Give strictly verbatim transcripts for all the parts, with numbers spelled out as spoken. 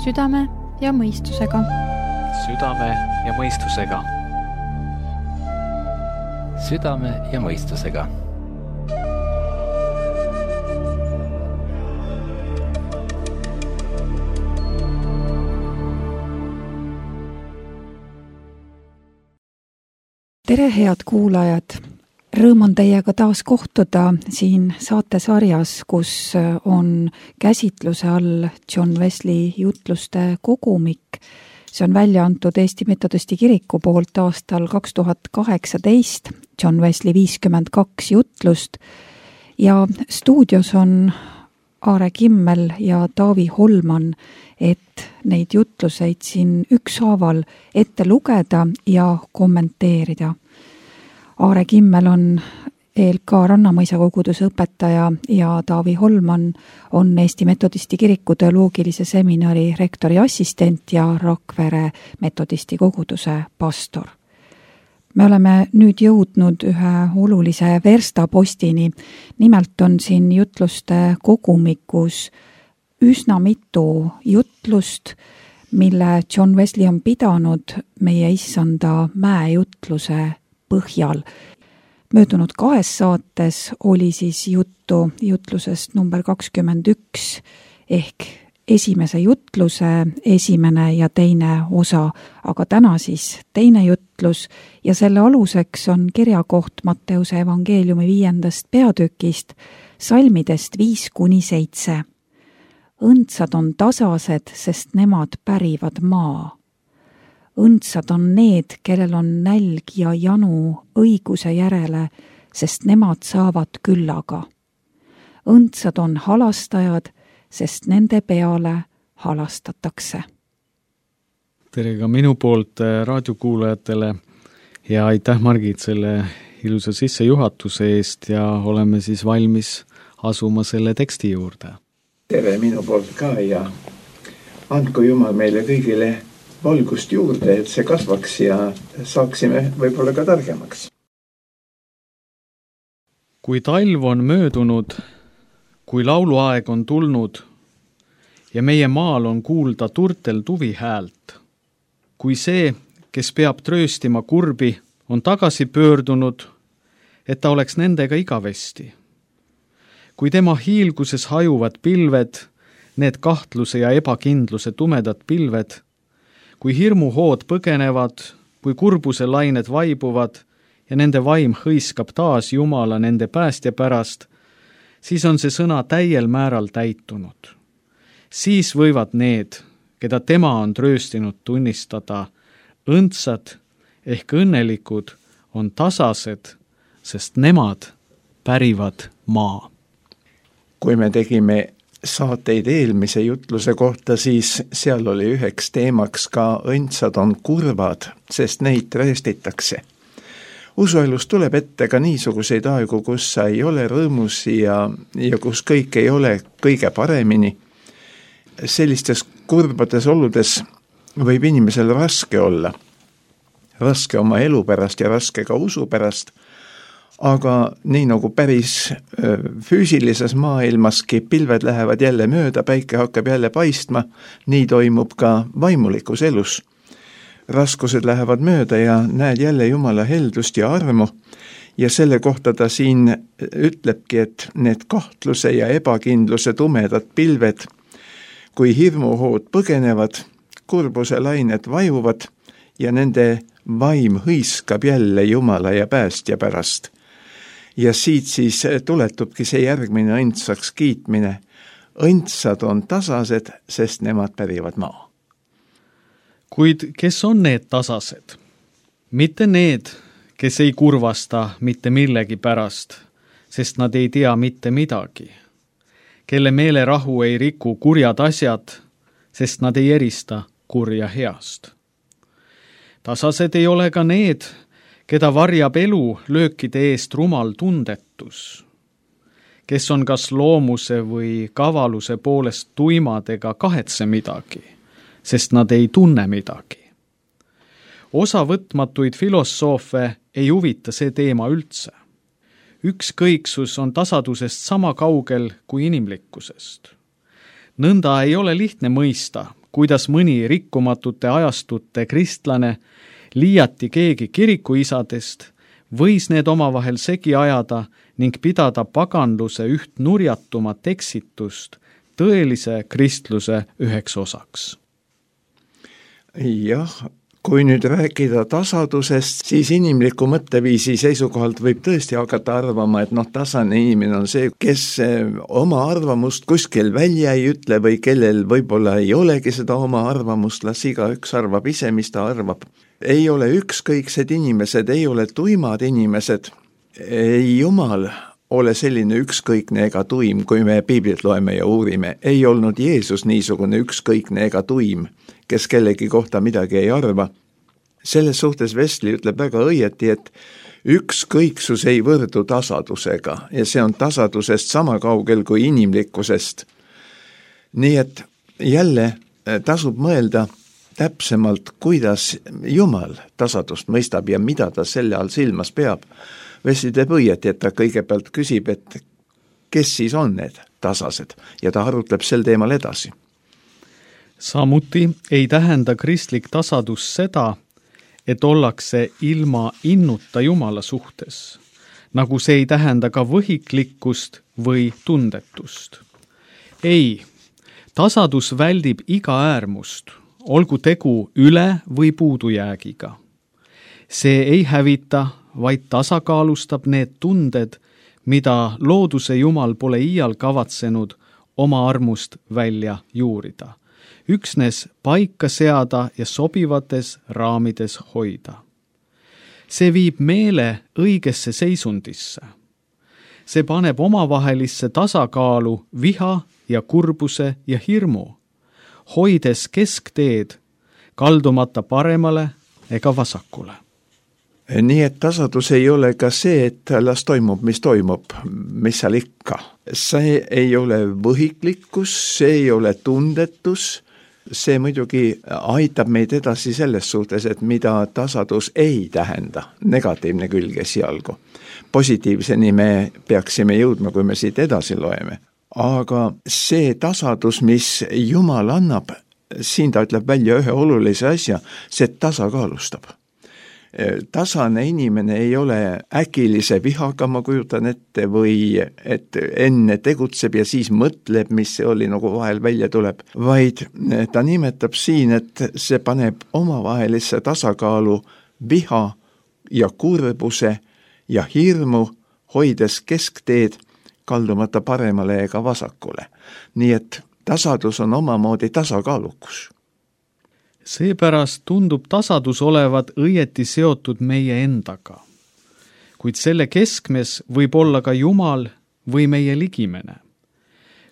südame ja mõistusega. Südame ja mõistusega. Südame ja mõistusega. Tere, head kuulajad! Rõõm on teiega taas kohtuda siin saatesarjas, kus on käsitluse all John Wesley jutluste kogumik. See on välja antud Eesti Metodisti Kiriku poolt aastal kaks tuhat kaheksateist, John Wesley viiskümmend kaks jutlust. Ja stuudios on Aare Kimmel ja Taavi Holman, et neid jutluseid siin ükshaaval ette lugeda ja kommenteerida. Aare Kimmel on E L K Rannamõisa koguduse õpetaja ja Taavi Holman on Eesti Metodisti Kiriku teoloogilise seminari rektori assistent ja Rakvere Metodisti koguduse pastor. Me oleme nüüd jõudnud ühe olulise verstapostini. Nimelt on siin jutluste kogumikus üsna mitu jutlust, mille John Wesley on pidanud meie issanda mäejutluse põhjal. Möödunud kahes saates oli siis juttu jutlusest number kakskümmend üks ehk esimese jutluse esimene ja teine osa, aga täna siis teine jutlus ja selle aluseks on kirjakoht Matteuse evangeeliumi viiendast peatükist, salmidest viis kuni seitse. Õndsad on tasased, sest nemad pärivad maa. Õndsad on need, kellel on nälg ja janu õiguse järele, sest nemad saavad küllaga. Õndsad on halastajad, sest nende peale halastatakse. Tere ka minu poolt raadiokuulajatele ja aitäh Margit selle ilusa sissejuhatuse eest ja oleme siis valmis asuma selle teksti juurde. Tere minu poolt ka ja andku Jumal meile kõigile valgust juurde, et see kasvaks ja saaksime võib-olla ka targemaks. Kui talv on möödunud, kui lauluaeg on tulnud ja meie maal on kuulda turtel tuvi häält, kui see, kes peab trööstima kurbi, on tagasi pöördunud, et ta oleks nendega igavesti. Kui tema hiilguses hajuvad pilved, need kahtluse ja ebakindluse tumedad pilved, kui hirmuhood põgenevad, kui kurbuse lained vaibuvad ja nende vaim hõiskab taas Jumala nende päästja pärast, siis on see sõna täiel määral täitunud. Siis võivad need, keda tema on trööstinud tunnistada, õndsad ehk õnnelikud on tasased, sest nemad pärivad maa. Kui me tegime saateid eelmise jutluse kohta, siis seal oli üheks teemaks ka õndsad on kurvad, sest neid trööstitakse. Usuelus tuleb ette ka niisuguseid aegu, kus sa ei ole rõõmus ja, ja kus kõik ei ole kõige paremini. Sellistes kurbades oludes võib inimesel raske olla. Raske oma elu pärast ja raske ka usu pärast. Aga nii nagu päris füüsilises maailmaski pilved lähevad jälle mööda, päike hakkab jälle paistma, nii toimub ka vaimulikus elus. Raskused lähevad mööda ja näed jälle Jumala heldust ja armu ja selle kohta ta siin ütlebki, et need kahtluse ja ebakindluse tumedad pilved, kui hirmuhood põgenevad, kurbuse lained vajuvad ja nende vaim hõiskab jälle Jumala ja päästja pärast. Ja siit siis tuletubki see järgmine õndsaks kiitmine. Õndsad on tasased, sest nemad pärivad maa. Kuid kes on need tasased? Mitte need, kes ei kurvasta mitte millegi pärast, sest nad ei tea mitte midagi. Kelle meelerahu ei riku kurjad asjad, sest nad ei erista kurja heast. Tasased ei ole ka need, keda varjab elu löökide eest rumal tundetus, kes on kas loomuse või kavaluse poolest tuimad ega kahetse midagi, sest nad ei tunne midagi. Osavõtmatuid filosoofe ei huvita see teema üldse. Ükskõiksus on tasadusest sama kaugel kui inimlikkusest. Nõnda ei ole lihtne mõista, kuidas mõni rikkumatute ajastute kristlane, liiati keegi kirikuisadest, võis need omavahel segi ajada ning pidada paganluse üht nurjatumat eksitust tõelise kristluse üheks osaks. Jah, kui nüüd rääkida tasadusest, siis inimliku mõtteviisi seisukohalt võib tõesti hakata arvama, et noh, tasane inimene on see, kes oma arvamust kuskil välja ei ütle või kellel võib-olla ei olegi seda oma arvamust, las igaüks arvab ise, mis ta arvab. Ei ole ükskõiksed inimesed, ei ole tuimad inimesed, ei Jumal ole selline ükskõikne ega tuim, kui me piiblit loeme ja uurime. Ei olnud Jeesus niisugune ükskõikne ega tuim, kes kellegi kohta midagi ei arva. Selles suhtes Wesley ütleb väga õieti, et ükskõiksus ei võrdu tasadusega ja see on tasadusest sama kaugel kui inimlikkusest. Nii et jälle tasub mõelda täpsemalt, kuidas Jumal tasadust mõistab ja mida ta selle all silmas peab. Wesley teeb õieti, et ta kõigepealt küsib, et kes siis on need tasased ja ta arutleb sel teemal edasi. Samuti ei tähenda kristlik tasadus seda, et ollakse ilma innuta Jumala suhtes, nagu see ei tähenda ka võhiklikkust või tundetust. Ei, tasadus väldib iga äärmust, olgu tegu üle või puudujäägiga. See ei hävita, vaid tasakaalustab need tunded, mida looduse Jumal pole iial kavatsenud oma armust välja juurida. Üksnes paika seada ja sobivates raamides hoida. See viib meele õigesse seisundisse. See paneb omavahelisse tasakaalu viha ja kurbuse ja hirmu, hoides keskteed, kaldumata paremale ega vasakule. Nii et tasadus ei ole ka see, et las toimub, mis toimub, mis seal ikka. See ei ole võhiklikkus, see ei ole tundetus, see muidugi aitab meid edasi selles suhtes, et mida tasadus ei tähenda, negatiivne külg esialgu. Positiivseni me peaksime jõudma, kui me siit edasi loeme. Aga see tasadus, mis Jumal annab, siin ta ütleb välja ühe olulise asja, see tasakaalustab. Tasane inimene ei ole äkilise vihaga, ma kujutan ette, või et enne tegutseb ja siis mõtleb, mis see oli, nagu vahel välja tuleb, vaid ta nimetab siin, et see paneb omavahelisse tasakaalu viha ja kurbuse ja hirmu, hoides keskteed, kaldumata paremale ega vasakule. Nii et tasadus on omamoodi tasakaalukus. Seepärast tundub tasadus olevat õieti seotud meie endaga. Kuid selle keskmes võib olla ka Jumal või meie ligimene.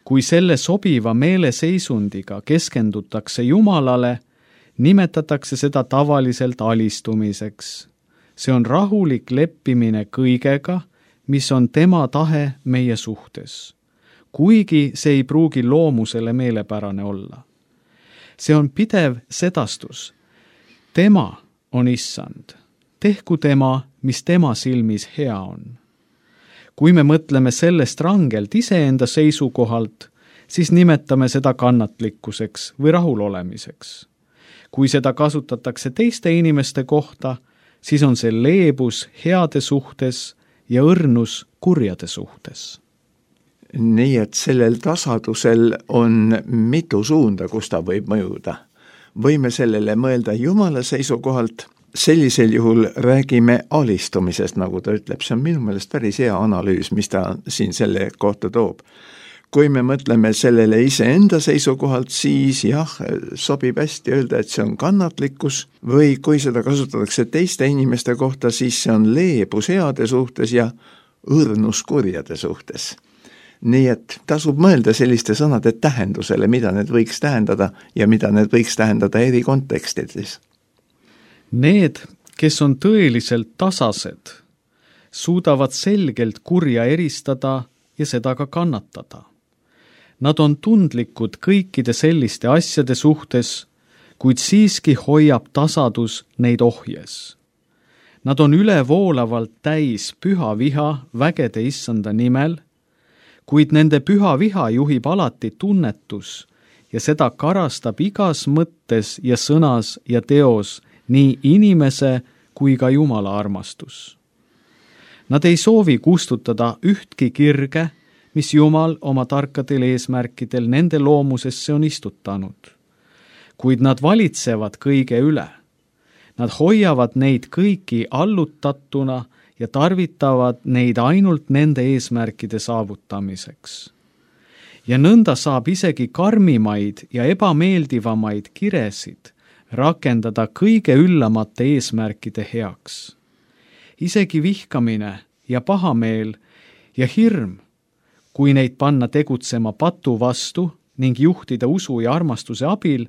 Kui selle sobiva meeleseisundiga keskendutakse Jumalale, nimetatakse seda tavaliselt alistumiseks. See on rahulik leppimine kõigega, mis on tema tahe meie suhtes, kuigi see ei pruugi loomusele meelepärane olla. See on pidev sedastus. Tema on issand. Tehku tema, mis tema silmis hea on. Kui me mõtleme sellest rangelt iseenda seisukohalt, siis nimetame seda kannatlikkuseks või rahulolemiseks. Kui seda kasutatakse teiste inimeste kohta, siis on see leebus heade suhtes ja õrnus kurjade suhtes. Nii et sellel tasadusel on mitu suunda, kus ta võib mõjuda. Võime sellele mõelda Jumala seisukohalt, sellisel juhul räägime alistumisest, nagu ta ütleb. See on minu meelest päris hea analüüs, mis ta siin selle kohta toob. Kui me mõtleme sellele iseenda seisukohalt, siis jah, sobib hästi öelda, et see on kannatlikkus, või kui seda kasutatakse teiste inimeste kohta, siis see on leebus heade suhtes ja õrnus kurjade suhtes. Nii et tasub mõelda selliste sõnade tähendusele, mida need võiks tähendada ja mida need võiks tähendada eri kontekstides. Need, kes on tõeliselt tasased, suudavad selgelt kurja eristada ja seda ka kannatada. Nad on tundlikud kõikide selliste asjade suhtes, kuid siiski hoiab tasadus neid ohjes. Nad on ülevoolavalt täis püha viha vägede issanda nimel, kuid nende püha viha juhib alati tunnetus ja seda karastab igas mõttes ja sõnas ja teos nii inimese kui ka Jumala armastus. Nad ei soovi kustutada ühtki kirge, mis Jumal oma tarkadel eesmärkidel nende loomusesse on istutanud. Kuid nad valitsevad kõige üle. Nad hoiavad neid kõiki allutatuna ja tarvitavad neid ainult nende eesmärkide saavutamiseks. Ja nõnda saab isegi karmimaid ja ebameeldivamaid kiresid rakendada kõige üllamate eesmärkide heaks. Isegi vihkamine ja pahameel ja hirm, kui neid panna tegutsema patu vastu ning juhtida usu ja armastuse abil,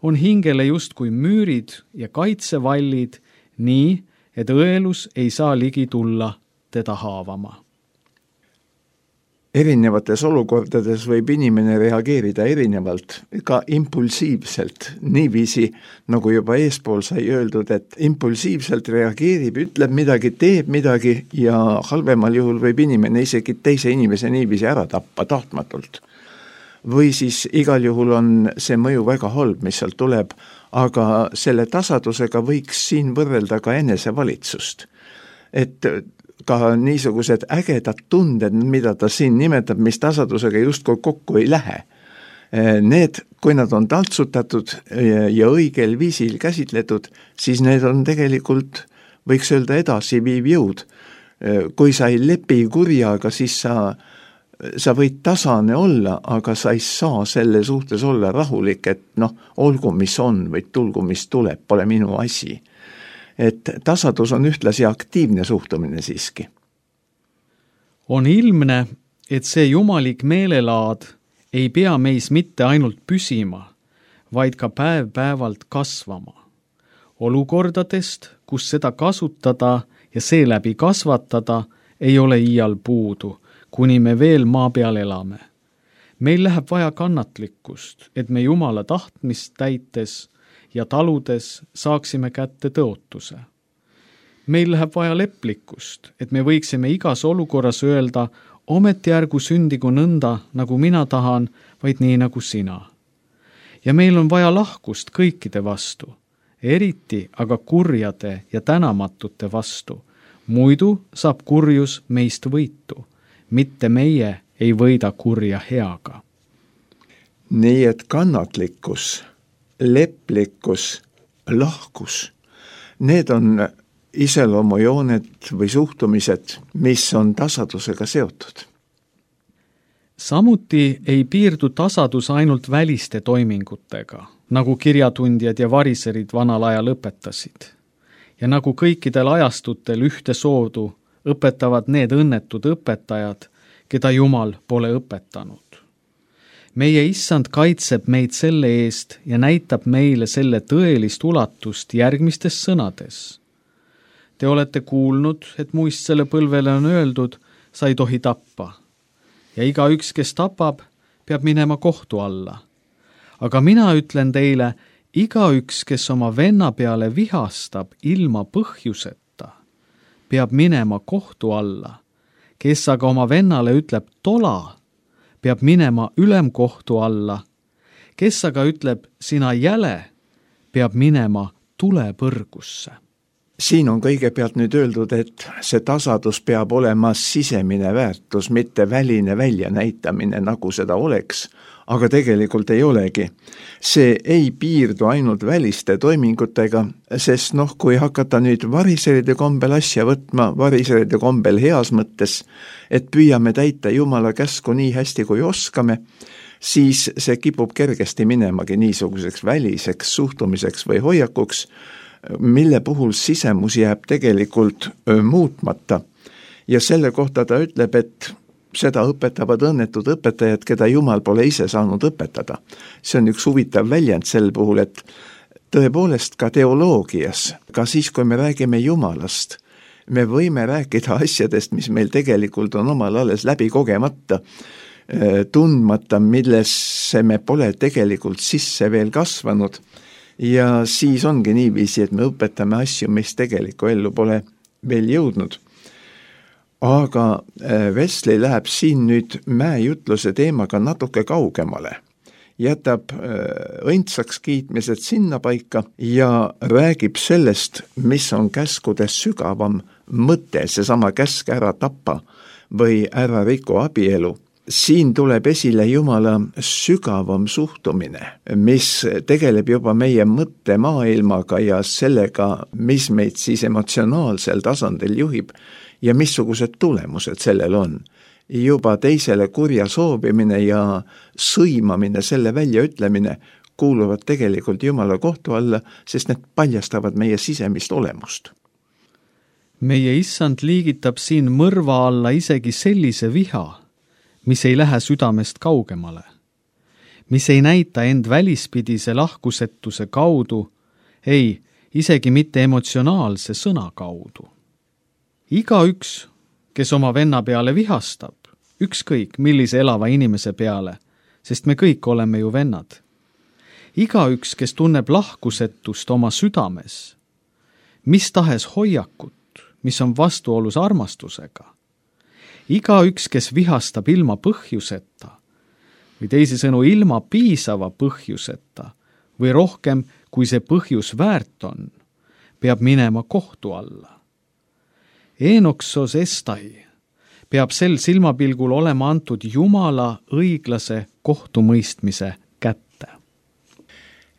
on hingele justkui müürid ja kaitsevallid nii, et õelus ei saa ligi tulla teda haavama. Erinevates olukordades võib inimene reageerida erinevalt, ka impulsiivselt, niiviisi, nagu juba eespool sai öeldud, et impulsiivselt reageerib, ütleb midagi, teeb midagi ja halvemal juhul võib inimene isegi teise inimese niiviisi ära tappa tahtmatult. Või siis igal juhul on see mõju väga halb, mis sealt tuleb, aga selle tasadusega võiks siin võrrelda ka enesevalitsust. Et ka niisugused ägedad tunded, mida ta siin nimetab, mis tasadusega justkui kokku ei lähe. Need, kui nad on taltsutatud ja õigel viisil käsitletud, siis need on tegelikult, võiks öelda, edasiviiv jõud. Kui sa ei lepi kurjaga, siis sa sa võid tasane olla, aga sa ei saa selle suhtes olla rahulik, et noh, olgu mis on või tulgu mis tuleb, pole minu asi. Et tasadus on ühtlasi aktiivne suhtumine siiski. On ilmne, et see jumalik meelelaad ei pea meis mitte ainult püsima, vaid ka päev-päevalt kasvama. Olukordadest, kus seda kasutada ja seeläbi kasvatada, ei ole iial puudu, kuni me veel maa peal elame. Meil läheb vaja kannatlikkust, et me Jumala tahtmist täites ja taludes saaksime kätte tõotuse. Meil läheb vaja leplikkust, et me võiksime igas olukorras öelda, ometi ärgu sündigu nõnda, nagu mina tahan, vaid nii nagu sina. Ja meil on vaja lahkust kõikide vastu, eriti aga kurjade ja tänamatute vastu. Muidu saab kurjus meist võitu. Mitte meie ei võida kurja heaga. Nii et kannatlikkus, leplikkus, lahkus, need on iseloomujooned või suhtumised, mis on tasadusega seotud. Samuti ei piirdu tasadus ainult väliste toimingutega, nagu kirjatundjad ja variserid vanal ajal õpetasid. Ja nagu kõikidel ajastutel ühte soodu õpetavad need õnnetud õpetajad, keda Jumal pole õpetanud. Meie issand kaitseb meid selle eest ja näitab meile selle tõelist ulatust järgmistes sõnades. Te olete kuulnud, et muistsele põlvele on öeldud, sa ei tohi tappa. Ja igaüks, kes tapab, peab minema kohtu alla. Aga mina ütlen teile, igaüks, kes oma venna peale vihastab ilma põhjuseta, peab minema kohtu alla. Kes aga oma vennale ütleb tola, peab minema ülemkohtu alla. Kes aga ütleb sina jäle, peab minema tulepõrgusse. Siin on kõigepealt nüüd öeldud, et see tasadus peab olema sisemine väärtus, mitte väline väljanäitamine, nagu seda oleks, aga tegelikult ei olegi. See ei piirdu ainult väliste toimingutega, sest noh, kui hakata nüüd variseride kombel asja võtma, variseride kombel heas mõttes, et püüame täita Jumala käsku nii hästi kui oskame, siis see kipub kergesti minemagi niisuguseks väliseks suhtumiseks või hoiakuks, mille puhul sisemus jääb tegelikult muutmata. Ja selle kohta ta ütleb, et seda õpetavad õnnetud õpetajad, keda Jumal pole ise saanud õpetada. See on üks huvitav väljend sel puhul, et tõepoolest ka teoloogias, ka siis, kui me räägime Jumalast, me võime rääkida asjadest, mis meil tegelikult on omal alles läbi kogemata, tundmata, millesse me pole tegelikult sisse veel kasvanud. Ja siis ongi niiviisi, et me õpetame asju, mis tegeliku ellu pole veel jõudnud. Aga Wesley läheb siin nüüd mäejutluse teemaga natuke kaugemale jätab õndsaks kiitmised sinna paika ja räägib sellest, mis on käskudes sügavam mõte, seesama käsk ära tappa või ära riku abielu. Siin tuleb esile Jumala sügavam suhtumine, mis tegeleb juba meie mõttemaailmaga ja sellega, mis meid siis emotsionaalsel tasandil juhib ja missugused tulemused sellel on. Juba teisele kurja soovimine ja sõimamine, selle väljaütlemine kuuluvad tegelikult Jumala kohtu alla, sest need paljastavad meie sisemist olemust. Meie issand liigitab siin mõrva alla isegi sellise viha, mis ei lähe südamest kaugemale, mis ei näita end välispidise lahkusetuse kaudu, ei, isegi mitte emotsionaalse sõna kaudu. Igaüks, kes oma venna peale vihastab, ükskõik millise elava inimese peale, sest me kõik oleme ju vennad. Igaüks, kes tunneb lahkusetust oma südames, mis tahes hoiakut, mis on vastuolus armastusega, igaüks, kes vihastab ilma põhjuseta või teisisõnu ilma piisava põhjuseta või rohkem, kui see põhjus väärt on, peab minema kohtu alla. Enoksos estai peab sel silmapilgul olema antud Jumala õiglase kohtumõistmise kätte.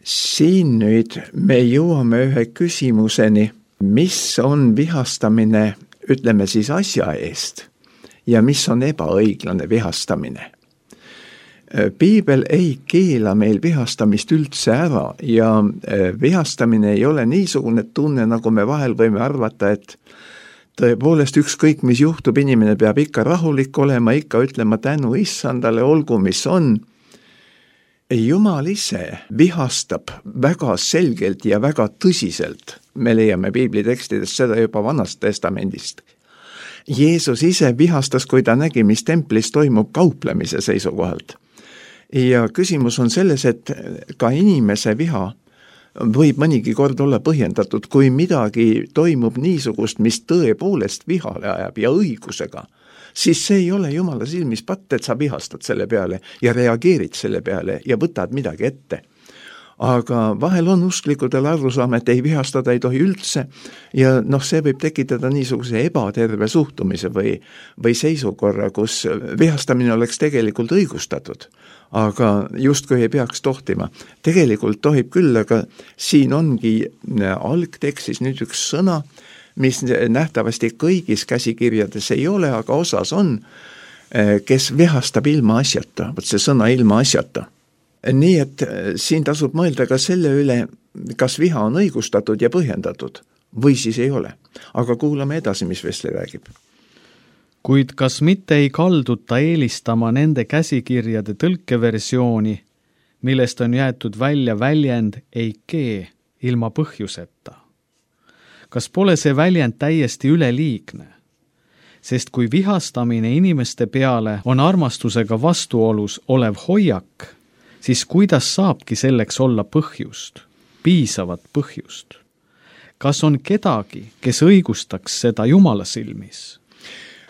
Siin nüüd me jõuame ühe küsimuseni, mis on vihastamine, ütleme siis asja eest, ja mis on ebaõiglane vihastamine. Piibel ei keela meil vihastamist üldse ära ja vihastamine ei ole niisugune tunne, nagu me vahel võime arvata, et tõepoolest ükskõik, mis juhtub, inimene peab ikka rahulik olema, ikka ütlema tänu issandale, olgu mis on. Jumal ise vihastab väga selgelt ja väga tõsiselt. Me leiame Piibli tekstidest seda juba Vanast testamendist. Jeesus ise vihastas, kui ta nägi, mis templis toimub kauplemise seisukohalt. Ja küsimus on selles, et ka inimese viha võib mõnigi kord olla põhjendatud, kui midagi toimub niisugust, mis tõepoolest vihale ajab ja õigusega, siis see ei ole Jumala silmis patt, et sa vihastad selle peale ja reageerid selle peale ja võtad midagi ette. Aga vahel on usklikudel arusaam, et ei vihastada ei tohi üldse ja noh, see võib tekitada niisuguse ebaterve suhtumise või, või seisukorra, kus vihastamine oleks tegelikult õigustatud, aga justkui ei peaks tohtima. Tegelikult tohib küll, aga siin ongi algtekstis nüüd üks sõna, mis nähtavasti kõigis käsikirjades ei ole, aga osas on, kes vihastab ilma asjata, võt see sõna ilma asjata. Nii et siin tasub mõelda ka selle üle, kas viha on õigustatud ja põhjendatud või siis ei ole. Aga kuulame edasi, mis Vesli räägib. Kuid kas mitte ei kalduta eelistama nende käsikirjade tõlkeversiooni, millest on jäetud välja väljend eikee ilma põhjuseta? Kas pole see väljend täiesti üleliigne? Sest kui vihastamine inimeste peale on armastusega vastuolus olev hoiak, siis kuidas saabki selleks olla põhjust, piisavat põhjust? Kas on kedagi, kes õigustaks seda Jumala silmis?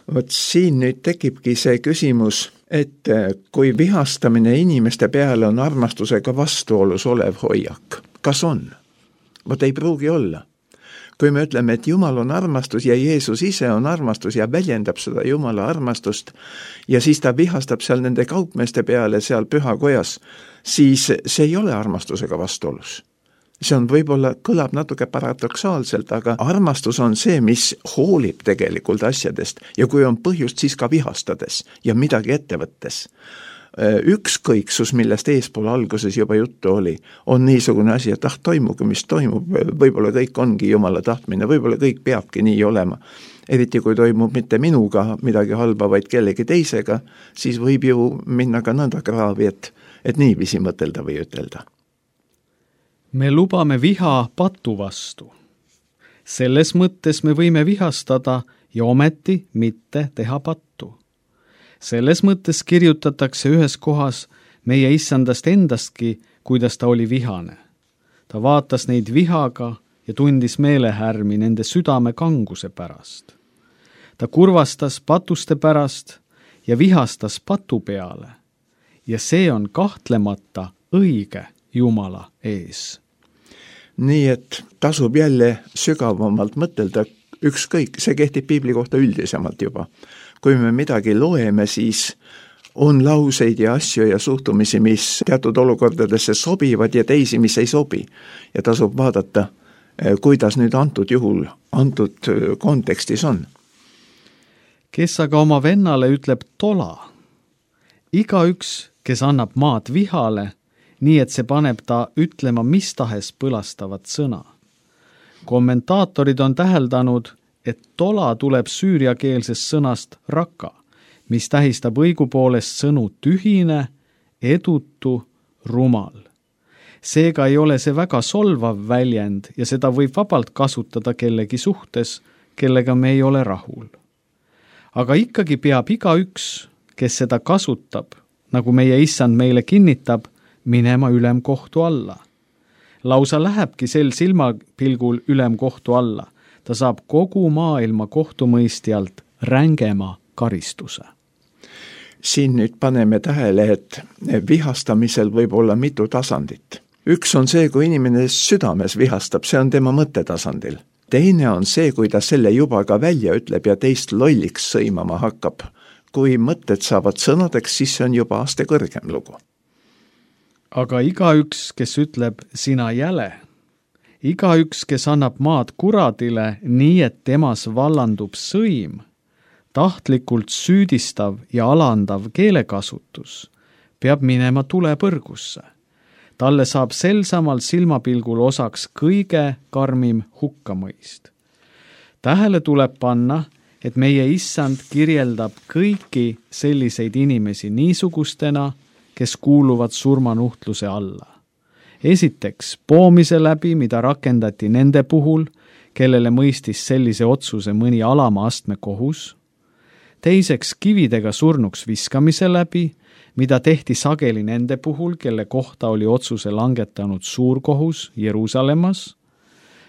Vot siin nüüd tekibki see küsimus, et kui vihastamine inimeste peale on armastusega vastuolus olev hoiak, kas on? Vot ei pruugi olla. Kui me ütleme, et Jumal on armastus ja Jeesus ise on armastus ja väljendab seda Jumala armastust ja siis ta vihastab seal nende kaupmeeste peale seal pühakojas, siis see ei ole armastusega vastuolus. See on võib-olla, kõlab natuke paradoksaalselt, aga armastus on see, mis hoolib tegelikult asjadest ja kui on põhjust, siis ka vihastades ja midagi ette võttes. Ükskõiksus, millest eespool alguses juba juttu oli, on niisugune asi, et ah, toimugu, mis toimub, võib-olla kõik ongi Jumala tahtmine, võib-olla kõik peabki nii olema. Eriti kui toimub mitte minuga midagi halba, vaid kellegi teisega, siis võib ju minna ka nõnda kraavi, et, et niiviisi mõtelda või ütelda. Me lubame viha patu vastu. Selles mõttes me võime vihastada ja ometi mitte teha pattu. Selles mõttes kirjutatakse ühes kohas meie issandast endastki, kuidas ta oli vihane. Ta vaatas neid vihaga ja tundis meelehärmi nende südame kanguse pärast. Ta kurvastas patuste pärast ja vihastas patu peale. Ja see on kahtlemata õige Jumala ees. nii et tasub jälle sügavamalt mõtelda, ükskõik, see kehtib piibli kohta üldisemalt juba. kui me midagi loeme, siis on lauseid ja asju ja suhtumisi, mis teatud olukordadesse sobivad ja teisi, mis ei sobi. ja tasub vaadata, kuidas nüüd antud juhul, antud kontekstis on. Kes aga oma vennale ütleb tola, igaüks, kes annab maad vihale, nii et see paneb ta ütlema mis tahes põlastavat sõna. Kommentaatorid on täheldanud, et tola tuleb süüriakeelsest sõnast raka, mis tähistab õigupoolest sõnu tühine, edutu, rumal. Seega ei ole see väga solvav väljend ja seda võib vabalt kasutada kellegi suhtes, kellega me ei ole rahul. Aga ikkagi peab igaüks, kes seda kasutab, nagu meie issand meile kinnitab, minema ülemkohtu alla. Lausa lähebki sel silmapilgul ülemkohtu alla. Ta saab kogu maailma kohtumõistjalt rängema karistuse. Siin nüüd paneme tähele, et vihastamisel võib olla mitu tasandit. Üks on see, kui inimene südames vihastab, see on tema mõttetasandil. Teine on see, kui ta selle juba ka välja ütleb ja teist lolliks sõimama hakkab. Kui mõtted saavad sõnadeks, siis see on juba aste kõrgem lugu. Aga igaüks, kes ütleb sina jäle, igaüks, kes annab maad kuradile nii, et temas vallandub sõim, tahtlikult süüdistav ja alandav keelekasutus, peab minema tulepõrgusse. Talle saab sel samal silmapilgul osaks kõige karmim hukkamõist. Tähele tuleb panna, et meie issand kirjeldab kõiki selliseid inimesi niisugustena, kes kuuluvad surmanuhtluse alla. Esiteks, poomise läbi, mida rakendati nende puhul, kellele mõistis sellise otsuse mõni alama astme kohus. Teiseks, kividega surnuks viskamise läbi, mida tehti sageli nende puhul, kelle kohta oli otsuse langetanud suurkohus Jeruusalemmas.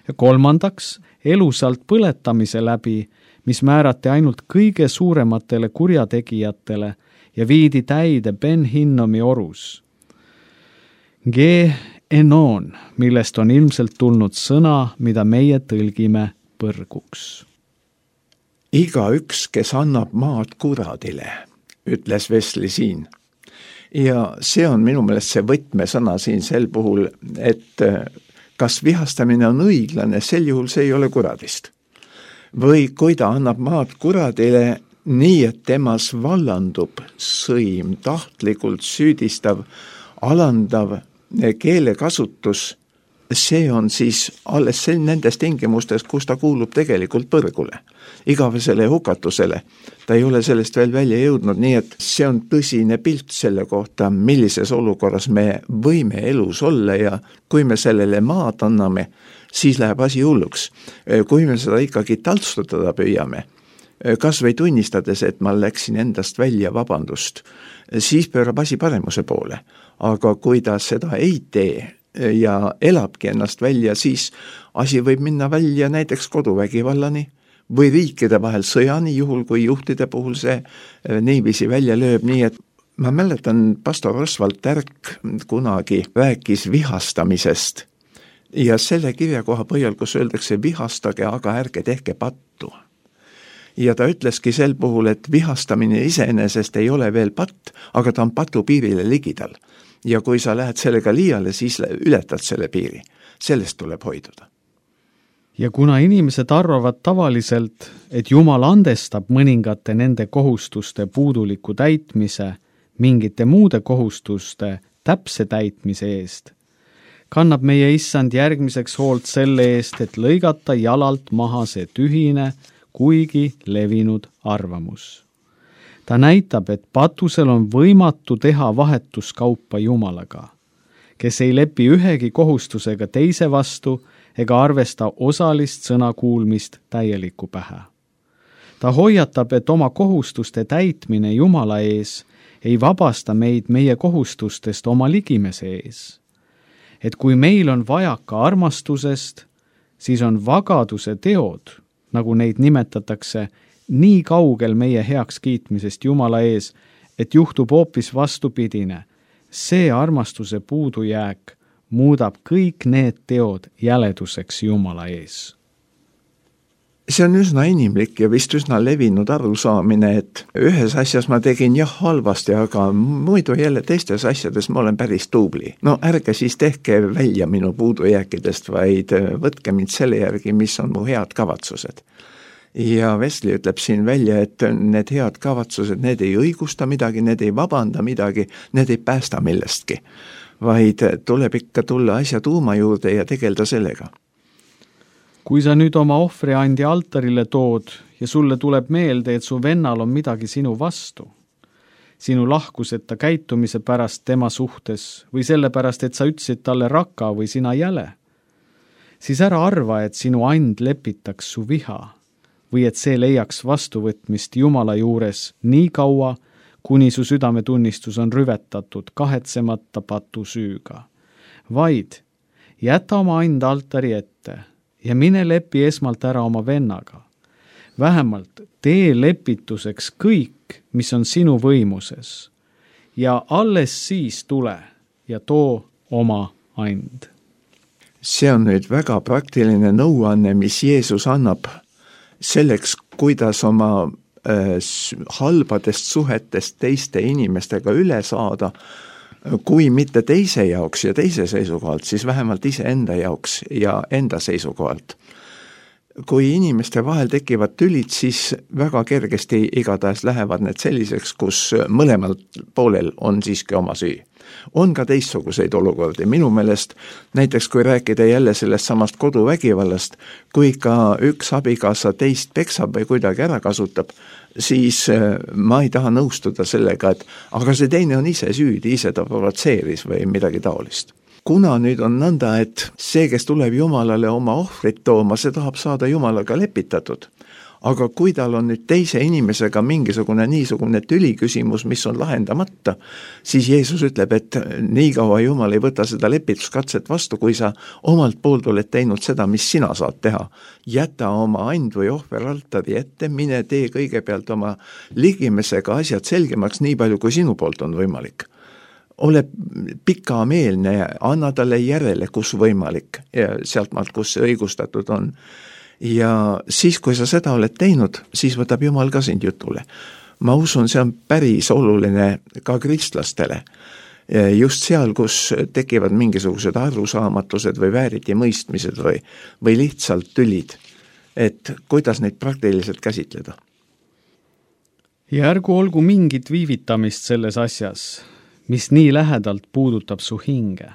Ja kolmandaks, elusalt põletamise läbi, mis määrati ainult kõige suurematele kurjategijatele ja viidi täide Ben Hinnomi orus. Ge enon, millest on ilmselt tulnud sõna, mida meie tõlgime põrguks. Igaüks, kes annab maad kuradile, ütles Wesley siin. Ja see on minu meelest see võtmesõna siin sel puhul, et kas vihastamine on õiglane, sel juhul see ei ole kuradist. Või kui ta annab maad kuradile nii, et temas vallandub sõim, tahtlikult süüdistav, alandav keelekasutus, see on siis alles nendes tingimustes, kus ta kuulub tegelikult põrgule, igavesele hukatusele. Ta ei ole sellest veel välja jõudnud, nii et see on tõsine pilt selle kohta, millises olukorras me võime elus olla ja kui me sellele maad anname, siis läheb asi hulluks. Kui me seda ikkagi taltsutada püüame, kas või tunnistades, et ma läksin endast välja, vabandust, siis pöörab asi paremuse poole. Aga kui ta seda ei tee ja elabki ennast välja, siis asi võib minna välja näiteks koduvägivallani või riikide vahel sõjani, juhul kui juhtide puhul see niiviisi välja lööb. Nii et ma mäletan, pastor Oswald Tärk kunagi rääkis vihastamisest ja selle kirjakoha põhjal, kus öeldakse vihastage, aga ärge tehke pattu. Ja ta ütleski sel puhul, et vihastamine iseenesest ei ole veel patt, aga ta on patu piirile ligidal. Ja kui sa lähed sellega liiale, siis ületad selle piiri. Sellest tuleb hoiduda. Ja kuna inimesed arvavad tavaliselt, et Jumal andestab mõningate nende kohustuste puuduliku täitmise mingite muude kohustuste täpse täitmise eest, kannab meie issand järgmiseks hoolt selle eest, et lõigata jalalt maha see tühine, kuigi levinud arvamus. Ta näitab, et patusel on võimatu teha vahetuskaupa Jumalaga, kes ei lepi ühegi kohustusega teise vastu ega arvesta osalist sõnakuulmist täieliku pähe. Ta hoiatab, et oma kohustuste täitmine Jumala ees ei vabasta meid meie kohustustest oma ligimese ees. Et kui meil on vajaka armastusest, siis on vagaduse teod, nagu neid nimetatakse, nii kaugel meie heaks kiitmisest Jumala ees, et juhtub hoopis vastupidine. see armastuse puudujääk muudab kõik need teod jäleduseks Jumala ees. See on üsna inimlik ja vist üsna levinud arusaamine, et ühes asjas ma tegin jah halvasti, aga muidu jälle teistes asjades ma olen päris tubli. No ärge siis tehke välja minu puudujääkidest, vaid võtke mind selle järgi, mis on mu head kavatsused. Ja Wesley ütleb siin välja, et need head kavatsused, need ei õigusta midagi, need ei vabanda midagi, need ei päästa millestki, vaid tuleb ikka tulla asja tuuma juurde ja tegelda sellega. Kui sa nüüd oma ohvriandi altarile tood ja sulle tuleb meelde, et su vennal on midagi sinu vastu, sinu lahkuseta käitumise pärast tema suhtes või selle pärast, et sa ütlesid talle raka või sina jäle, siis ära arva, et sinu and lepitaks su viha või et see leiaks vastuvõtmist Jumala juures nii kaua, kuni su südametunnistus on rüvetatud kahetsemata patu süüga, vaid jäta oma and altari ette ja mine lepi esmalt ära oma vennaga. Vähemalt tee lepituseks kõik, mis on sinu võimuses ja alles siis tule ja too oma and. See on nüüd väga praktiline nõuanne, mis Jeesus annab selleks, kuidas oma äh, halbadest suhetest teiste inimestega üle saada, kui mitte teise jaoks ja teise seisukohalt, siis vähemalt ise enda jaoks ja enda seisukohalt. Kui inimeste vahel tekivad tülid, siis väga kergesti igatahes lähevad need selliseks, kus mõlemal poolel on siiski oma süü. On ka teistsuguseid olukordi. Minu meelest, näiteks kui rääkida jälle sellest samast koduvägivallast, kui ka üks abikaasa teist peksab või kuidagi ära kasutab, siis ma ei taha nõustuda sellega, et aga see teine on ise süüdi, ise ta provotseeris või midagi taolist. Kuna nüüd on nõnda, et see, kes tuleb Jumalale oma ohvrit tooma, see tahab saada Jumalaga lepitatud. Aga kui tal on nüüd teise inimesega mingisugune niisugune tüliküsimus, mis on lahendamata, siis Jeesus ütleb, et nii kaua Jumal ei võta seda lepituskatset vastu, kui sa omalt poolt oled teinud seda, mis sina saad teha. Jäta oma and või ohver altari ette, mine tee kõigepealt oma ligimesega asjad selgemaks nii palju, kui sinu poolt on võimalik. Ole pikameelne, anna talle järele, kus võimalik ja sealt maalt, kus see õigustatud on. Ja siis, kui sa seda oled teinud, siis võtab Jumal ka sind jutule. Ma usun, see on päris oluline ka kristlastele. Just seal, kus tekivad mingisugused arusaamatused või vääriti mõistmised või, või lihtsalt tülid, et kuidas neid praktiliselt käsitleda. Ja ärgu olgu mingit viivitamist selles asjas, mis nii lähedalt puudutab su hinge.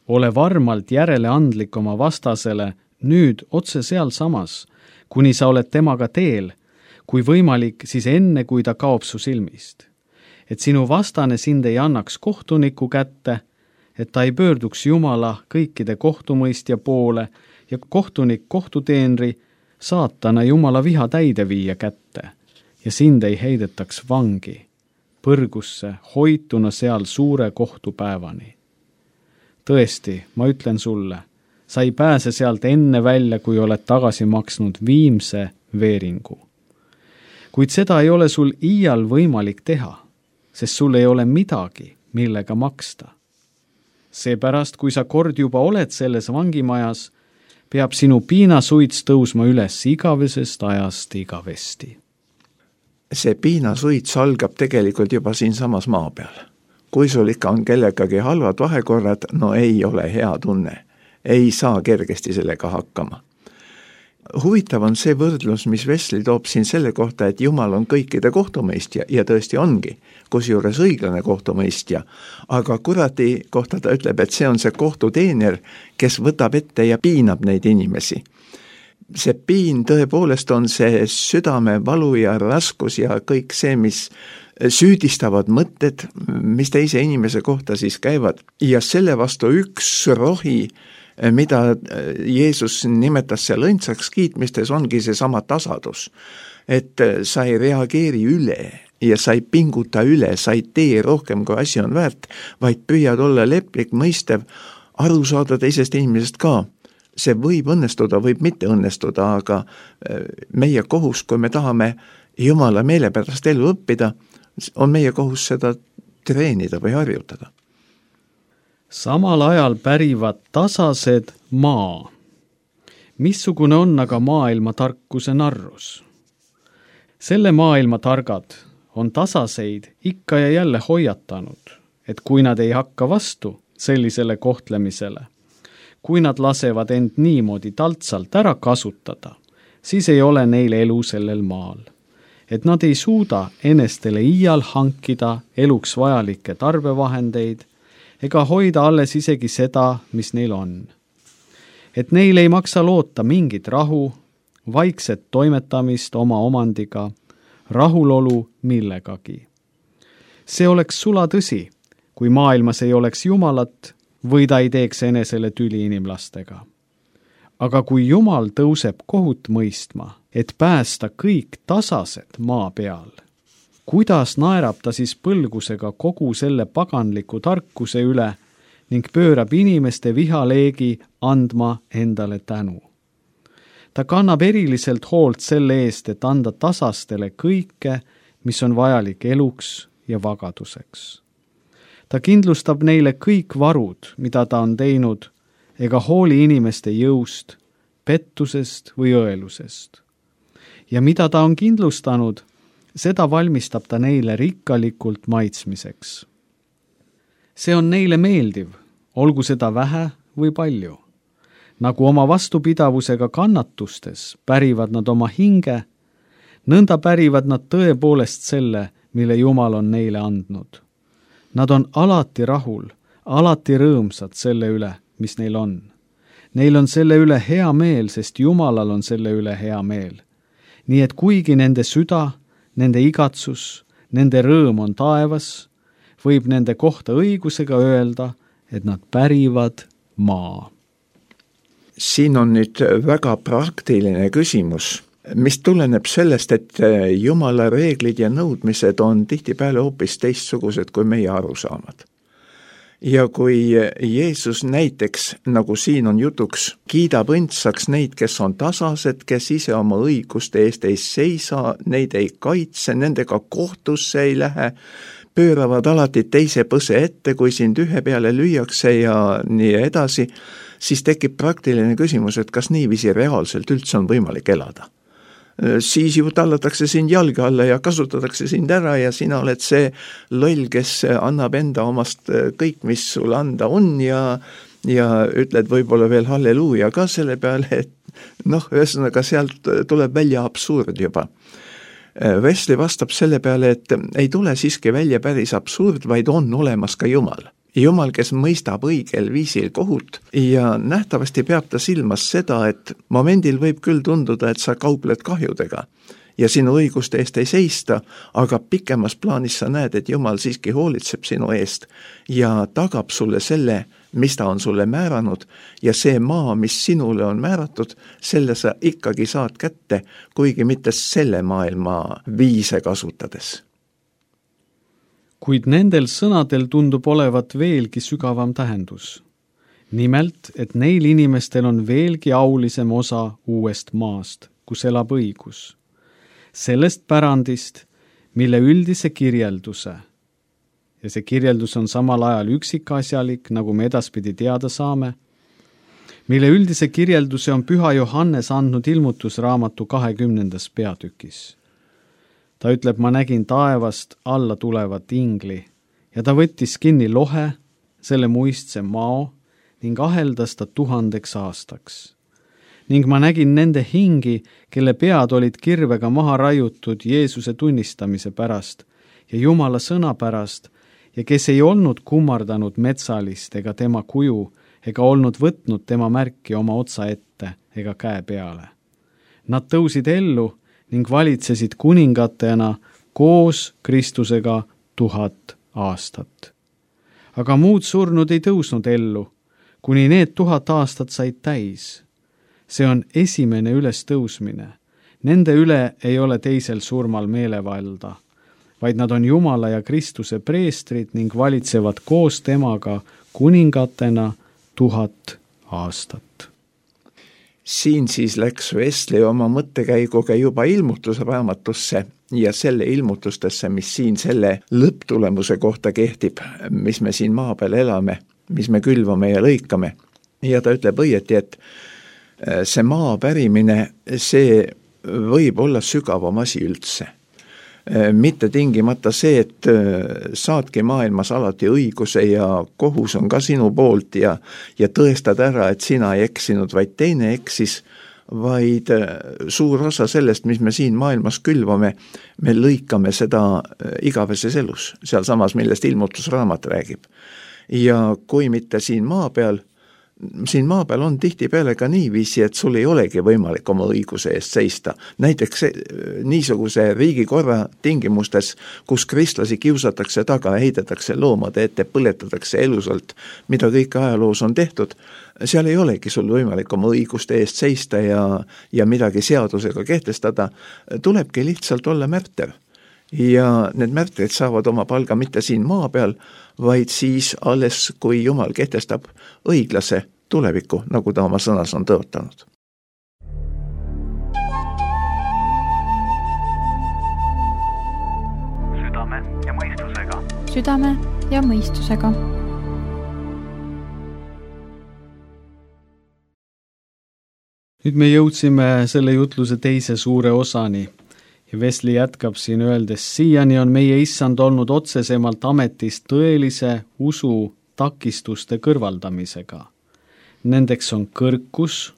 Ole varmalt järeleandlik oma vastasele nüüd otse seal samas, kuni sa oled temaga teel, kui võimalik, siis enne, kui ta kaob su silmist. Et sinu vastane sind ei annaks kohtuniku kätte, et ta ei pöörduks Jumala kõikide kohtumõistja poole ja kohtunik kohtuteenri saatana Jumala viha täideviija kätte ja sind ei heidetaks vangi, põrgusse, hoituna seal suure kohtupäevani. Tõesti, ma ütlen sulle, sa ei pääse sealt enne välja, kui oled tagasi maksnud viimse veeringu. Kuid seda ei ole sul iial võimalik teha, sest sul ei ole midagi, millega maksta. Seepärast, kui sa kord juba oled selles vangimajas, peab sinu piinasuits tõusma üles igavesest ajast igavesti. See piinasuits algab tegelikult juba siin samas maa peal. Kui sul ikka on kellegagi halvad vahekorrad, no ei ole hea tunne. Ei saa kergesti sellega hakkama. Huvitav on see võrdlus, mis Wesley toob siin selle kohta, et Jumal on kõikide kohtumõistja ja tõesti ongi, kusjuures õiglane kohtumõistja, aga kuradi kohta ta ütleb, et see on see kohtuteener, kes võtab ette ja piinab neid inimesi. See piin tõepoolest on see südame valu ja raskus ja kõik see, mis süüdistavad mõtted, mis teise inimese kohta siis käivad ja selle vastu üks rohi, mida Jeesus nimetas seal õndsaks kiitmistes, ongi see sama tasadus, et sa ei reageeri üle ja sa ei pinguta üle, sa ei tee rohkem, kui asi on väärt, vaid püüad olla leplik, mõistev, aru saada teisest inimesest ka. See võib õnnestuda, võib mitte õnnestuda, aga meie kohus, kui me tahame Jumala meele pärast elu õppida, on meie kohus seda treenida või harjutada. samal ajal pärivad tasased maa. Missugune on aga maailma tarkuse narrus? Selle maailma targad on tasaseid ikka ja jälle hoiatanud, et kui nad ei hakka vastu sellisele kohtlemisele, kui nad lasevad end niimoodi taltsalt ära kasutada, siis ei ole neil elu sellel maal. Et nad ei suuda enestele iial hankida eluks vajalikke tarbevahendeid ega hoida alles isegi seda, mis neil on. Et neil ei maksa loota mingit rahu, vaikset toimetamist oma omandiga, rahulolu millegagi. See oleks sula tõsi, kui maailmas ei oleks Jumalat või ta ei teeks enesele tüli inimlastega. Aga kui Jumal tõuseb kohut mõistma, et päästa kõik tasased maa peal, kuidas naerab ta siis põlgusega kogu selle paganliku tarkuse üle ning pöörab inimeste vihaleegi andma endale tänu? Ta kannab eriliselt hoolt selle eest, et anda tasastele kõike, mis on vajalik eluks ja vagaduseks. Ta kindlustab neile kõik varud, mida ta on teinud, ega hooli inimeste jõust, pettusest või õelusest. Ja mida ta on kindlustanud, seda valmistab ta neile rikkalikult maitsmiseks. See on neile meeldiv, olgu seda vähe või palju. Nagu oma vastupidavusega kannatustes pärivad nad oma hinge, nõnda pärivad nad tõepoolest selle, mille Jumal on neile andnud. Nad on alati rahul, alati rõõmsad selle üle, mis neil on. Neil on selle üle hea meel, sest Jumalal on selle üle hea meel. Nii et kuigi nende süda, nende igatsus, nende rõõm on taevas, võib nende kohta õigusega öelda, et nad pärivad maa. Siin on nüüd väga praktiline küsimus, mis tuleneb sellest, et Jumala reeglid ja nõudmised on tihtipeale hoopis teistsugused kui meie arusaamad. Ja kui Jeesus näiteks, nagu siin on jutuks, kiidab õndsaks neid, kes on tasased, kes ise oma õiguste eest ei seisa, neid ei kaitse, nendega kohtusse ei lähe, pööravad alati teise põse ette, kui sind ühe peale lüüakse ja nii edasi, siis tekib praktiline küsimus, et kas niiviisi reaalselt üldse on võimalik elada. Siis ju tallatakse sind jalge alla ja kasutatakse sind ära ja sina oled see loll, kes annab enda omast kõik, mis sul anda on ja, ja ütled võib-olla veel halleluuja ka selle peale, et noh, ühesõnaga sealt tuleb välja absurd juba. Wesley vastab selle peale, et ei tule siiski välja päris absurd, vaid on olemas ka Jumal. Jumal, kes mõistab õigel viisil kohut ja nähtavasti peab ta silmas seda, et momendil võib küll tunduda, et sa kaupled kahjudega ja sinu õiguste eest ei seista, aga pikemas plaanis sa näed, et Jumal siiski hoolitseb sinu eest ja tagab sulle selle, mis ta on sulle määranud ja see maa, mis sinule on määratud, selle sa ikkagi saad kätte, kuigi mitte selle maailma viise kasutades. Kuid nendel sõnadel tundub olevat veelgi sügavam tähendus. Nimelt, et neil inimestel on veelgi aulisem osa uuest maast, kus elab õigus. Sellest pärandist, mille üldise kirjelduse, ja see kirjeldus on samal ajal üksikasjalik, nagu me edaspidi teada saame, mille üldise kirjelduse on Püha Johannes andnud ilmutusraamatu kahekümnendas peatükis. Ta ütleb, ma nägin taevast alla tulevat ingli ja ta võttis kinni lohe, selle muistse mao ning aheldas ta tuhandeks aastaks. Ning ma nägin nende hingi, kelle pead olid kirvega maha raiutud Jeesuse tunnistamise pärast ja Jumala sõna pärast ja kes ei olnud kummardanud metsalist ega tema kuju ega olnud võtnud tema märki oma otsa ette ega käe peale. Nad tõusid ellu ning valitsesid kuningatena koos Kristusega tuhat aastat. Aga muud surnud ei tõusnud ellu, kuni need tuhat aastat said täis. See on esimene ülestõusmine. Nende üle ei ole teisel surmal meelevalda, vaid nad on Jumala ja Kristuse preestrid ning valitsevad koos temaga kuningatena tuhat aastat. Siin siis läks Wesley oma mõttekäiguga juba ilmutusraamatusse ja selle ilmutustesse, mis siin selle lõpptulemuse kohta kehtib, mis me siin maa peal elame. mis me külvame ja lõikame. Ja ta ütleb õieti, et see maa pärimine, see võib olla sügavam asi üldse. Mitte tingimata see, et saadki maailmas alati õiguse ja kohus on ka sinu poolt ja, ja tõestad ära, et sina ei eksinud, vaid teine eksis, vaid suur osa sellest, mis me siin maailmas külvame, me lõikame seda igaveses elus, seal samas, millest ilmutusraamat räägib. Ja kui mitte siin maa peal, siin maa peal on tihtipeale ka niiviisi, et sul ei olegi võimalik oma õiguse eest seista. Näiteks niisuguse riigikorra tingimustes, kus kristlasi kiusatakse taga, heidetakse loomade ette, põletatakse elusalt, mida kõik ajaloos on tehtud, seal ei olegi sul võimalik oma õiguste eest seista ja, ja midagi seadusega kehtestada, tulebki lihtsalt olla märter. Ja need märtrid saavad oma palga mitte siin maa peal, vaid siis alles, kui Jumal kehtestab õiglase tuleviku, nagu ta oma sõnas on tõotanud. Südame ja mõistusega. Südame ja mõistusega. Nüüd me jõudsime selle jutluse teise suure osani. Ja Wesley jätkab siin öeldes, siiani on meie issand olnud otsesemalt ametis tõelise usu takistuste kõrvaldamisega. Nendeks on kõrkus,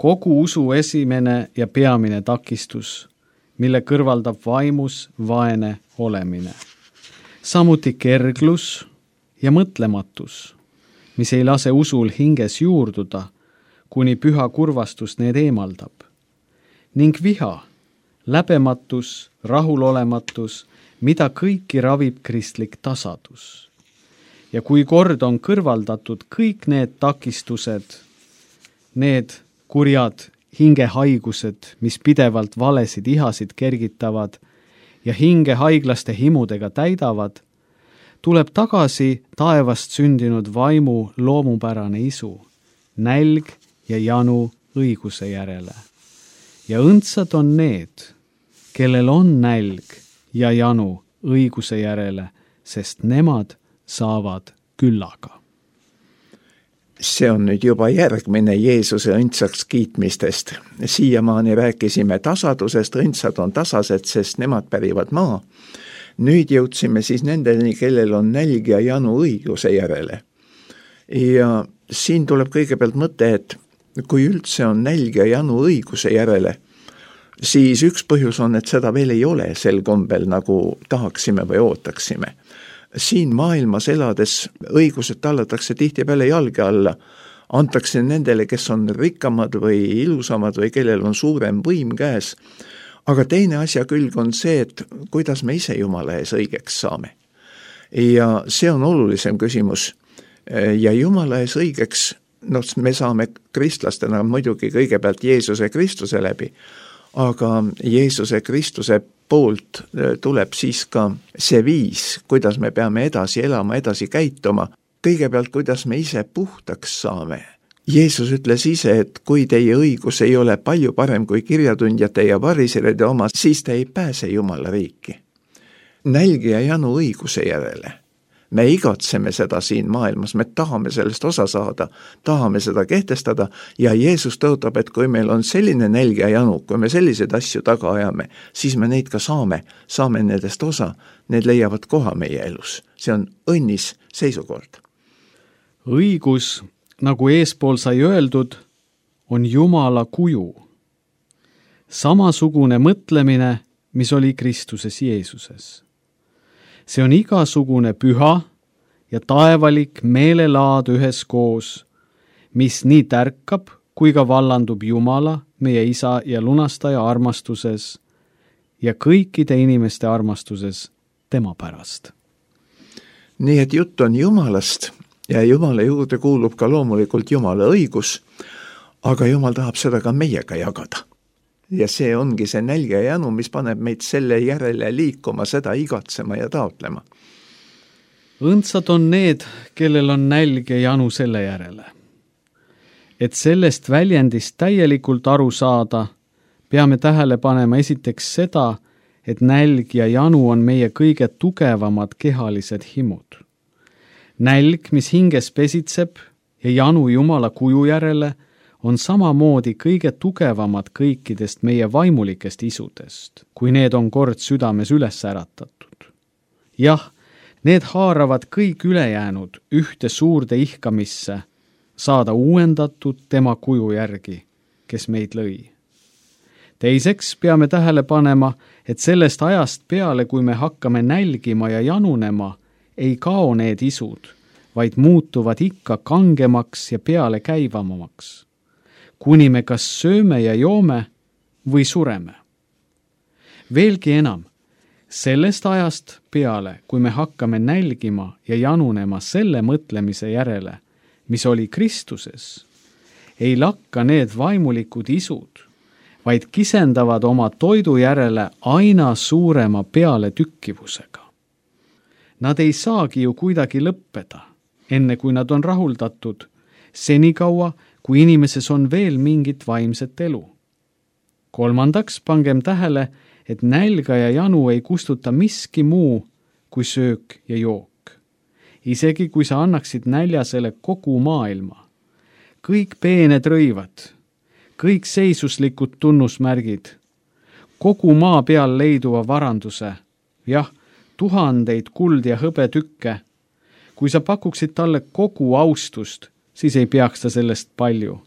kogu usu esimene ja peamine takistus, mille kõrvaldab vaimus vaene olemine. Samuti kerglus ja mõtlematus, mis ei lase usul hinges juurduda, kuni püha kurvastus need eemaldab. Ning viha, läbematus, rahulolematus, mida kõiki ravib kristlik tasadus. Ja kui kord on kõrvaldatud kõik need takistused, need kurjad hingehaigused, mis pidevalt valesid ihasid kergitavad ja hinge haiglaste himudega täidavad, tuleb tagasi taevast sündinud vaimu loomupärane isu, nälg ja janu õiguse järele. Ja õndsad on need, kellel on nälg ja janu õiguse järele, sest nemad saavad küllaga. See on nüüd juba järgmine Jeesuse õndsaks kiitmistest. Siiamaani rääkisime tasadusest, õndsad on tasased, sest nemad pärivad maa. Nüüd jõudsime siis nendeni, kellel on nälg ja janu õiguse järele. Ja siin tuleb kõigepealt mõte, et kui üldse on nälg ja janu õiguse järele, siis üks põhjus on, et seda veel ei ole sel kombel, nagu tahaksime või ootaksime. Siin maailmas elades õigused tallatakse tihtipeale jalge alla, antakse nendele, kes on rikkamad või ilusamad või kellel on suurem võim käes. Aga teine asja külg on see, et kuidas me ise Jumala ees õigeks saame. Ja see on olulisem küsimus. Ja Jumala ees õigeks, no me saame kristlastena muidugi kõigepealt Jeesuse Kristuse läbi, aga Jeesuse Kristuse poolt tuleb siis ka see viis, kuidas me peame edasi elama, edasi käituma. Kõigepealt, kuidas me ise puhtaks saame. Jeesus ütles ise, et kui teie õigus ei ole palju parem kui kirjatundjate ja variseride oma, siis te ei pääse Jumala riiki. Nälg ja janu õiguse järele. Me igatseme seda siin maailmas, me tahame sellest osa saada, tahame seda kehtestada ja Jeesus tõotab, et kui meil on selline nälg ja janu, kui me selliseid asju taga ajame, siis me neid ka saame, saame nendest osa, need leiavad koha meie elus. See on õnnis seisukord. Õigus, nagu eespool sai öeldud, on Jumala kuju. Samasugune mõtlemine, mis oli Kristuses Jeesuses. See on igasugune püha ja taevalik meelelaad üheskoos, mis nii tärkab kui ka vallandub Jumala, meie isa ja lunastaja armastuses ja kõikide inimeste armastuses tema pärast. Nii et jutt on Jumalast ja Jumala juurde kuulub ka loomulikult Jumala õigus, aga Jumal tahab seda ka meiega jagada. Ja see ongi see nälg ja janu, mis paneb meid selle järele liikuma, seda igatsema ja taotlema. Õndsad on need, kellel on nälg ja janu selle järele. Et sellest väljendist täielikult aru saada, peame tähele panema esiteks seda, et nälg ja janu on meie kõige tugevamad kehalised himud. nälg, mis hinges pesitseb ja janu Jumala kuju järele, on samamoodi kõige tugevamad kõikidest meie vaimulikest isudest, kui need on kord südames üles äratatud. Jah, need haaravad kõik ülejäänud ühte suurde ihkamisse, saada uuendatud tema kuju järgi, kes meid lõi. Teiseks peame tähele panema, et sellest ajast peale, kui me hakkame nälgima ja janunema, ei kao need isud, vaid muutuvad ikka kangemaks ja peale käivamaks, kuni me kas sööme ja joome või sureme. Veelgi enam, sellest ajast peale, kui me hakkame nälgima ja janunema selle mõtlemise järele, mis oli Kristuses, ei lakka need vaimulikud isud, vaid kisendavad oma toidu järele aina suurema peale tükkivusega. Nad ei saagi ju kuidagi lõppeda, enne kui nad on rahuldatud, senikaua, kui inimeses on veel mingit vaimset elu. Kolmandaks pangem tähele, et nälga ja janu ei kustuta miski muu kui söök ja jook. Isegi kui sa annaksid näljasele kogu maailma. Kõik peened rõivad, kõik seisuslikud tunnusmärgid, kogu maa peal leiduva varanduse, jah, tuhandeid kuld ja hõbetükke. Kui sa pakuksid talle kogu austust, siis ei peaks ta sellest palju.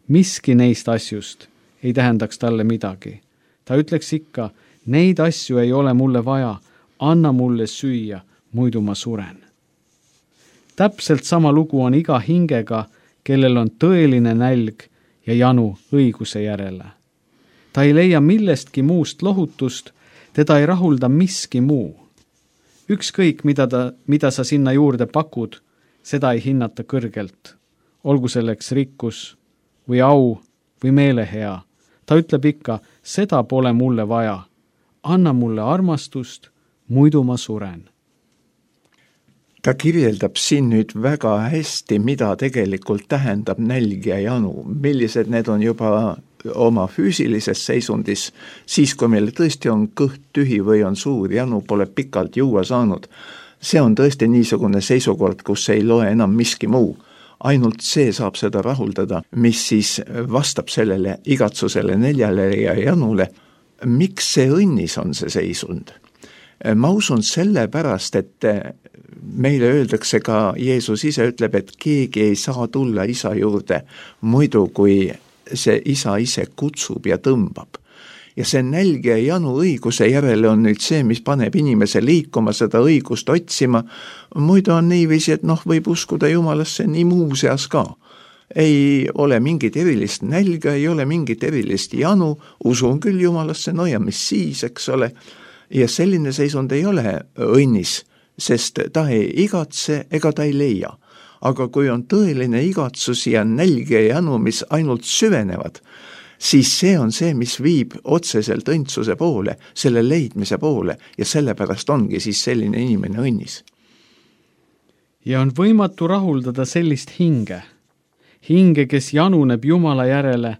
Miski neist asjust ei tähendaks talle midagi. Ta ütleks ikka, neid asju ei ole mulle vaja, anna mulle süüa, muidu ma suren. Täpselt sama lugu on iga hingega, kellel on tõeline nälg ja janu õiguse järele. Ta ei leia millestki muust lohutust, teda ei rahulda miski muu. Ükskõik, mida, ta, mida sa sinna juurde pakud, seda ei hinnata kõrgelt. Olgu selleks rikkus või au või meelehea. Ta ütleb ikka, seda pole mulle vaja. Anna mulle armastust, muidu ma suren. Ta kirjeldab siin nüüd väga hästi, mida tegelikult tähendab nälg ja janu, millised need on juba oma füüsilises seisundis, siis kui meil tõesti on kõht tühi või on suur janu, pole pikalt juua saanud. See on tõesti niisugune seisukord, kus ei loe enam miski muu. Ainult see saab seda rahuldada, mis siis vastab sellele igatsusele, neljale ja janule. Miks see õnnis on see seisund? Ma usun sellepärast, et meile öeldakse ka, Jeesus ise ütleb, et keegi ei saa tulla isa juurde, muidu kui see isa ise kutsub ja tõmbab. Ja see nälg ja janu õiguse järele on nüüd see, mis paneb inimese liikuma, seda õigust otsima. Muidu on niiviisi, et noh, võib uskuda Jumalasse nii muuseas ka. Ei ole mingit erilist nälga, ei ole mingit erilist janu, usun küll Jumalasse, no ja mis siis, eks ole. Ja selline seisund ei ole õnnis, sest ta ei igatse ega ta ei leia. Aga kui on tõeline igatsus ja nälg ja janu, mis ainult süvenevad, siis see on see, mis viib otseselt õndsuse poole, selle leidmise poole ja sellepärast ongi siis selline inimene õnnis. Ja on võimatu rahuldada sellist hinge. Hinge, kes januneb Jumala järele,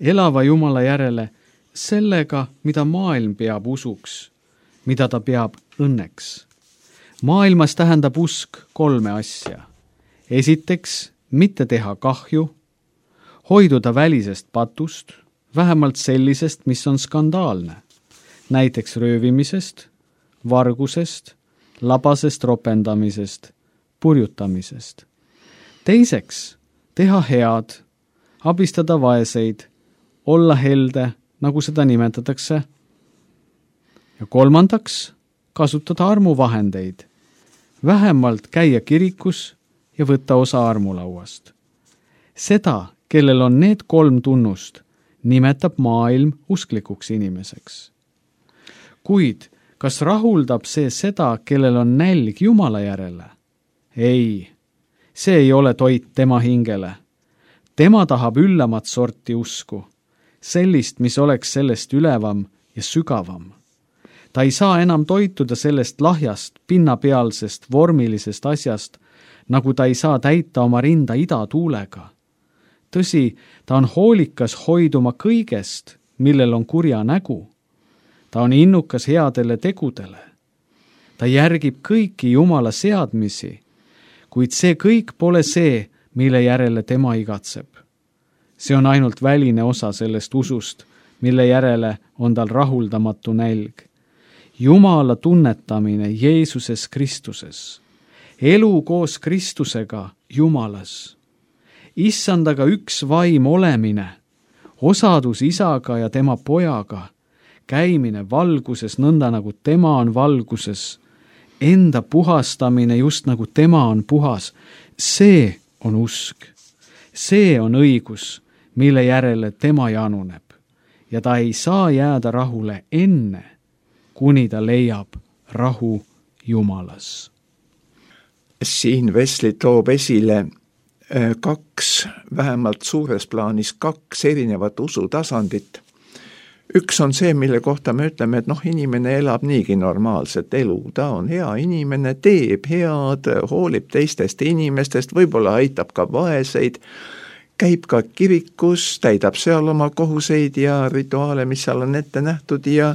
elava Jumala järele, sellega, mida maailm peab usuks, mida ta peab õnneks. Maailmas tähendab usk kolme asja. Esiteks, mitte teha kahju, hoiduda välisest patust, vähemalt sellisest, mis on skandaalne, näiteks röövimisest, vargusest, labasest ropendamisest, purjutamisest. Teiseks, teha head, abistada vaeseid, olla helde, nagu seda nimetatakse. Ja kolmandaks, kasutada armuvahendeid, vähemalt käia kirikus ja võtta osa armulauast. Seda, kellel on need kolm tunnust, nimetab maailm usklikuks inimeseks. Kuid kas rahuldab see seda, kellel on nälg Jumala järele? Ei, see ei ole toit tema hingele. Tema tahab üllamat sorti usku, sellist, mis oleks sellest ülevam ja sügavam. Ta ei saa enam toituda sellest lahjast, pinnapealsest, vormilisest asjast, nagu ta ei saa täita oma rinda idatuulega. Tõsi, ta on hoolikas hoiduma kõigest, millel on kurja nägu. Ta on innukas headele tegudele. Ta järgib kõiki Jumala seadmisi. kuid see kõik pole see, mille järele tema igatseb. See on ainult väline osa sellest usust, mille järele on tal rahuldamatu nälg. Jumala tunnetamine Jeesuses Kristuses, elu koos Kristusega Jumalas, issandaga üks vaim olemine, osadus isaga ja tema pojaga, käimine valguses nõnda nagu tema on valguses, enda puhastamine just nagu tema on puhas, see on usk. See on õigus, mille järele tema januneb ja ta ei saa jääda rahule enne, kuni ta leiab rahu Jumalas. Siin Wesley toob esile kaks, vähemalt suures plaanis kaks erinevat usutasandit. Üks on see, mille kohta me ütleme, et noh, inimene elab niigi normaalset elu, ta on hea inimene, teeb head, hoolib teistest inimestest, võib-olla aitab ka vaeseid, käib ka kirikus, täidab seal oma kohuseid ja rituaale, mis seal on ette nähtud ja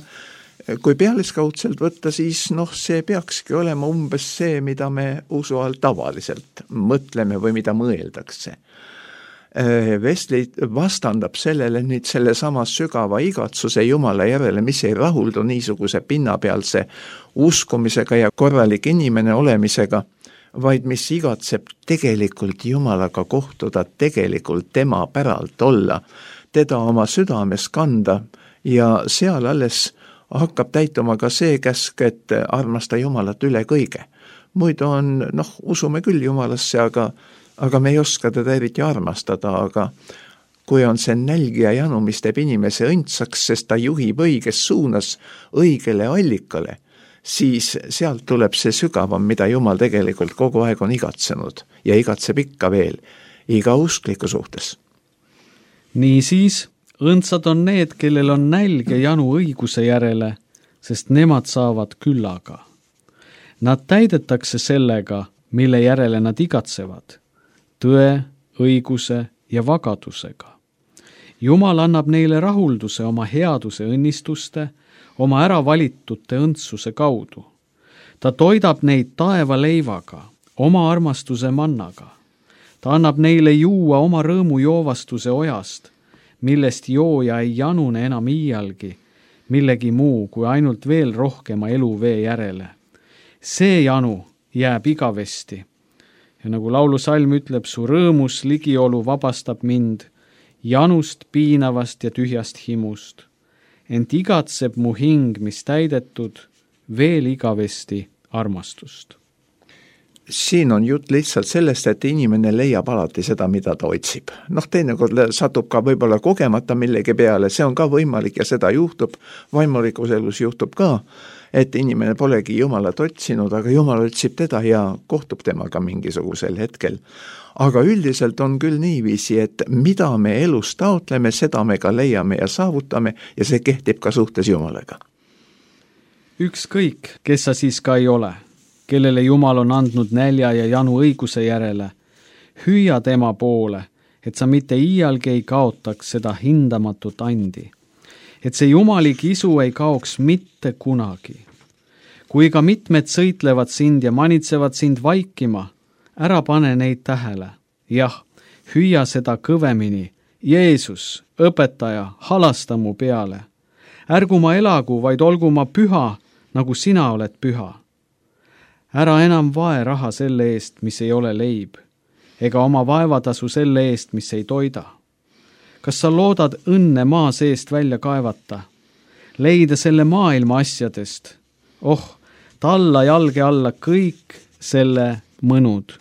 kui pealiskaudselt võtta, siis noh, see peakski olema umbes see, mida me usu all tavaliselt mõtleme või mida mõeldakse. Wesley vastandab sellele nüüd selle sama sügava igatsuse Jumala järele, mis ei rahuldu niisuguse pinnapealse uskumisega ja korralik inimene olemisega, vaid mis igatseb tegelikult Jumalaga kohtuda, tegelikult tema päralt olla, teda oma südames kanda ja seal alles hakkab täituma ka see käsk, et armasta Jumalat üle kõige. Muidu on, noh, usume küll Jumalasse, aga, aga me ei oska teda eriti armastada, aga kui on see nälg ja janu, mis teeb inimese õndsaks, sest ta juhib õiges suunas õigele allikale, siis sealt tuleb see sügavam, mida Jumal tegelikult kogu aeg on igatsenud ja igatseb ikka veel iga uskliku suhtes. Niisiis, õndsad on need, kellel on nälg ja janu õiguse järele, sest nemad saavad küllaga. Nad täidetakse sellega, mille järele nad igatsevad, tõe, õiguse ja vagadusega. Jumal annab neile rahulduse oma headuse õnnistuste, oma äravalitute õndsuse kaudu. Ta toidab neid taeva leivaga, oma armastuse mannaga. Ta annab neile juua oma rõõmu joovastuse ojast, millest jooja ei janune enam iialgi, millegi muu kui ainult veel rohkema eluvee järele. See janu jääb igavesti. Ja nagu laulusalm ütleb, su rõõmus ligiolu vabastab mind janust, piinavast ja tühjast himust. Ent igatseb mu hing, mis täidetud, veel igavesti armastust. Siin on jutt lihtsalt sellest, et inimene leiab alati seda, mida ta otsib. Noh, teinekord satub ka võib-olla kogemata millegi peale, see on ka võimalik ja seda juhtub, vaimulikus elus juhtub ka, et inimene polegi Jumalat otsinud, aga Jumal otsib teda ja kohtub temaga mingisugusel hetkel. Aga üldiselt on küll niiviisi, et mida me elus taotleme, seda me ka leiame ja saavutame ja see kehtib ka suhtes Jumalaga. Ükskõik, kes sa siis ka ei ole, kellele Jumal on andnud nälja ja janu õiguse järele, hüüa tema poole, et sa mitte iialgi ei kaotaks seda hindamatut andi, et see jumalik isu ei kaoks mitte kunagi. Kui ka mitmed sõitlevad sind ja manitsevad sind vaikima, ära pane neid tähele. Jah, hüüa seda kõvemini. Jeesus, õpetaja, halasta mu peale. Ärgu ma elagu, vaid olgu ma püha, nagu sina oled püha. Ära enam vae raha selle eest, mis ei ole leib, ega oma vaevatasu selle eest, mis ei toida. Kas sa loodad õnne maa seest välja kaevata? Leida selle maailma asjadest? Oh, talla jalge alla kõik selle mõnud.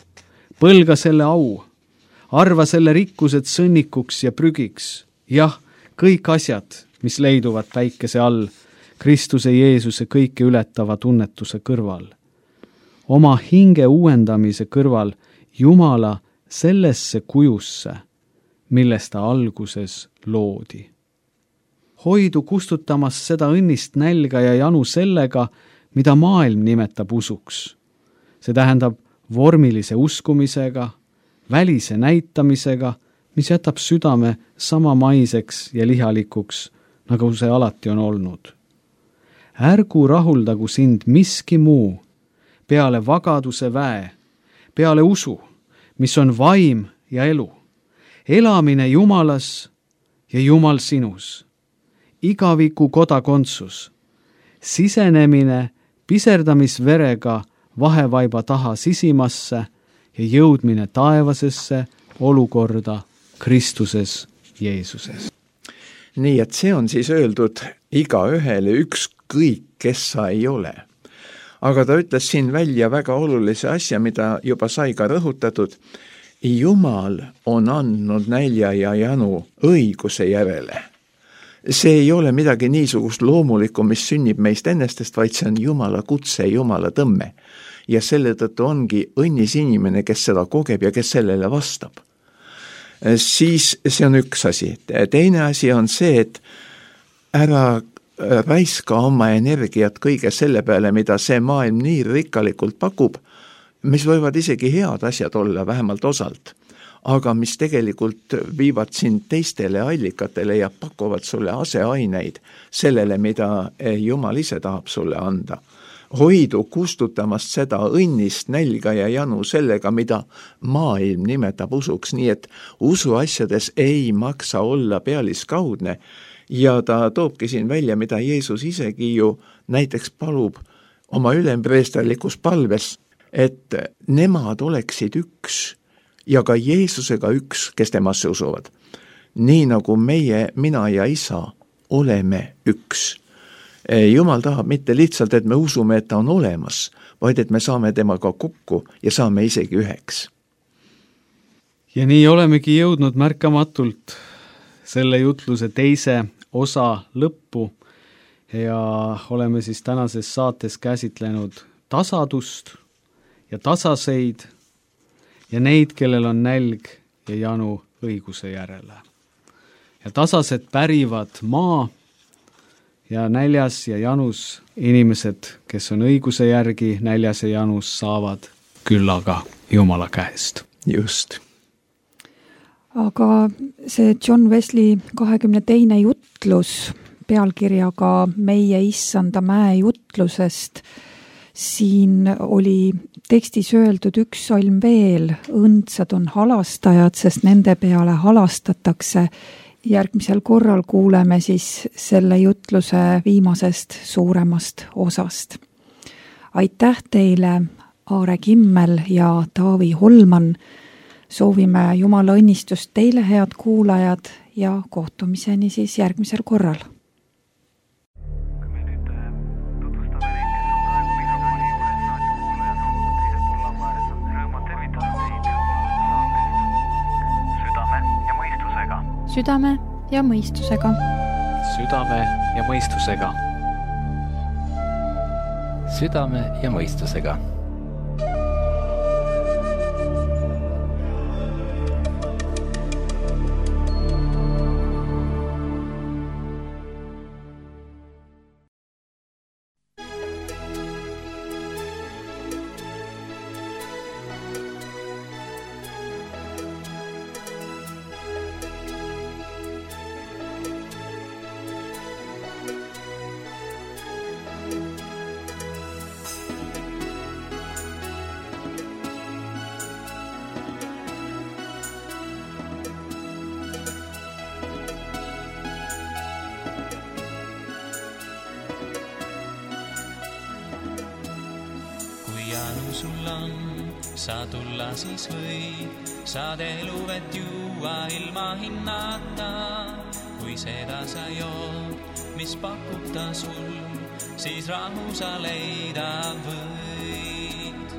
Põlga selle au. Arva selle rikkused sõnnikuks ja prügiks. Jah, kõik asjad, mis leiduvad päikese all, Kristuse Jeesuse kõike ületava tunnetuse kõrval. Oma hinge uuendamise kõrval Jumala sellesse kujusse, millest ta alguses loodi. Hoidu kustutamas seda õnnist nälga ja janu sellega, mida maailm nimetab usuks. See tähendab vormilise uskumisega, välise näitamisega, mis jätab südame samamaiseks ja lihalikuks, nagu see alati on olnud. Ärgu rahuldagu sind miski muu, peale vagaduse väe, peale usu, mis on vaim ja elu, elamine Jumalas ja Jumal sinus, igaviku kodakondsus, sisenemine piserdamisverega vahevaiba taha sisimasse ja jõudmine taevasesse olukorda Kristuses Jeesuses. Nii et see on siis öeldud iga ühele ükskõik, kes sa ei ole. Aga ta ütles siin välja väga olulise asja, mida juba sai ka rõhutatud. Jumal on andnud nälja ja janu õiguse järele. See ei ole midagi niisugust loomulikku, mis sünnib meist ennestest, vaid see on Jumala kutse, Jumala tõmme. Ja selle tõttu ongi õnnis inimene, kes seda kogeb ja kes sellele vastab. Siis see on üks asi. Teine asi on see, et ära raiska oma energiat kõige selle peale, mida see maailm nii rikkalikult pakub, mis võivad isegi head asjad olla, vähemalt osalt, aga mis tegelikult viivad sind teistele allikatele ja pakuvad sulle aseaineid sellele, mida Jumal ise tahab sulle anda. Hoidu kustutamast seda õnnist, nälga ja janu sellega, mida maailm nimetab usuks, nii et usuasjades ei maksa olla pealiskaudne ja ta toobki siin välja, mida Jeesus isegi ju näiteks palub oma ülempreesterlikus palves, et nemad oleksid üks ja ka Jeesusega üks, kes temasse usuvad. Nii nagu meie, mina ja isa oleme üks. Jumal tahab mitte lihtsalt, et me usume, et ta on olemas, vaid et me saame temaga kokku ja saame isegi üheks. Ja nii olemegi jõudnud märkamatult selle jutluse teise osa lõppu ja oleme siis tänases saates käsitlenud tasadust ja tasaseid ja neid, kellel on nälg ja janu õiguse järele. Ja tasased pärivad maa ja näljas ja janus inimesed, kes on õiguse järgi näljas ja janus, saavad küllaga Jumala käest. Just. Aga see John Wesley kahekümne teine jutlus pealkirjaga Meie issanda mäe jutlusest, siin oli tekstis öeldud üks salm veel, õndsad on halastajad, sest nende peale halastatakse. Järgmisel korral kuuleme siis selle jutluse viimasest suuremast osast. Aitäh teile, Aare Kimmel ja Taavi Holman. Soovime Jumala õnnistust teile, head kuulajad, ja kohtumiseni siis järgmisel korral. Südame ja mõistusega. Südame ja mõistusega. Südame ja mõistusega. sul on, saa tulla siis või, saad eluvet juua ilma hinnata. Kui seda sa jood, mis pakub ta sul, siis rahu sa leida võid.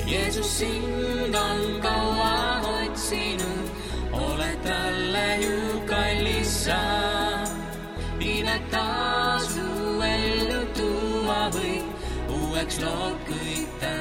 Jeesus sind on kaua otsinud, oled talle ju kallis sa. Inet tasu ellu tuua või uueks lood kõik ta.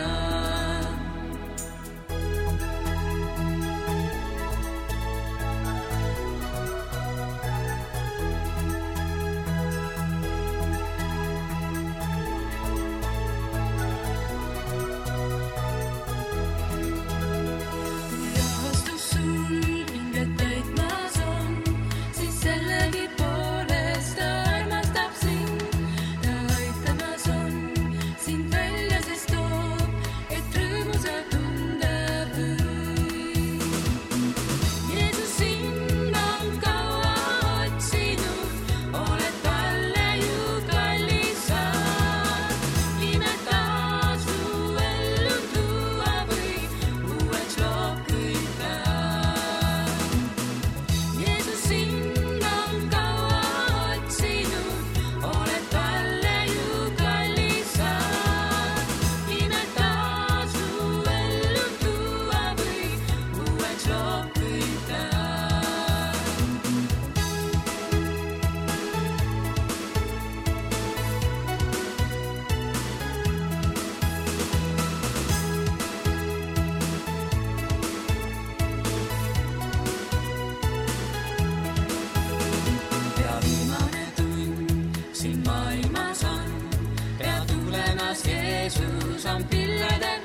Jeesus on pilvede